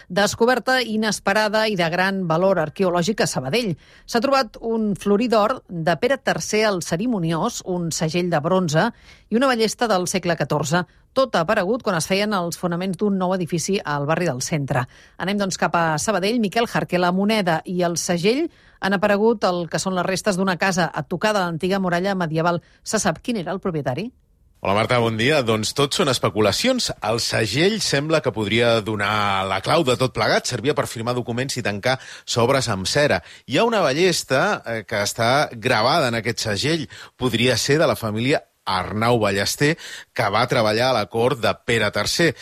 Descoberta inesperada i de gran valor arqueològic a Sabadell. S'ha trobat un florí d'or de Pere III el Cerimoniós, un segell de bronze i una ballesta del segle XIV. Tot ha aparegut quan es feien els fonaments d'un nou edifici al barri del centre. Anem doncs cap a Sabadell. Miquel Jarque, la moneda i el segell han aparegut el que són les restes d'una casa a tocar de l'antiga muralla medieval. Se sap quin era el propietari? Hola Marta, bon dia. Doncs tot són especulacions. El segell sembla que podria donar la clau de tot plegat. Servia per firmar documents i tancar sobres amb cera. Hi ha una ballesta que està gravada en aquest segell. Podria ser de la família Arnau Ballester, que va treballar a la cort de Pere III.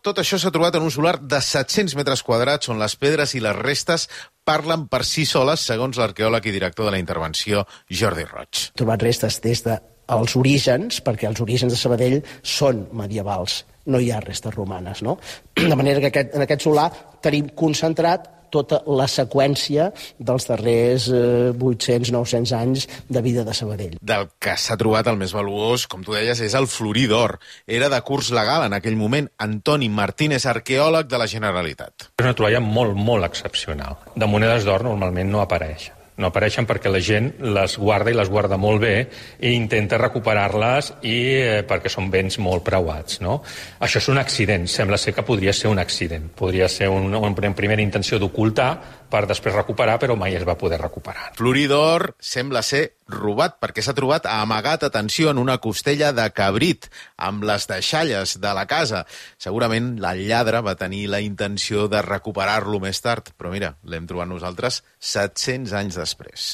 Tot això s'ha trobat en un solar de 700 metres quadrats on les pedres i les restes parlen per si soles, segons l'arqueòleg i director de la intervenció, Jordi Roig. Trobat restes des dels orígens, perquè els orígens de Sabadell són medievals, no hi ha restes romanes, no? De manera que en aquest solar tenim concentrat tota la seqüència dels darrers 800-900 anys de vida de Sabadell. Del que s'ha trobat el més valuós, com tu deies, és el florí d'or. Era de curs legal en aquell moment. Antoni Martínez, arqueòleg de la Generalitat. És una troballa molt excepcional. De monedes d'or normalment no apareixen. No apareixen perquè la gent les guarda i les guarda molt bé i intenta recuperar-les perquè són béns molt preuats, no? Això és un accident, sembla ser que podria ser un accident. Podria ser una primera intenció d'ocultar per després recuperar, però mai es va poder recuperar. Florí d'or sembla ser robat perquè s'ha trobat amagat, atenció, en una costella de cabrit amb les deixalles de la casa. Segurament el lladre va tenir la intenció de recuperar-lo més tard, però mira, l'hem trobat nosaltres 700 anys després.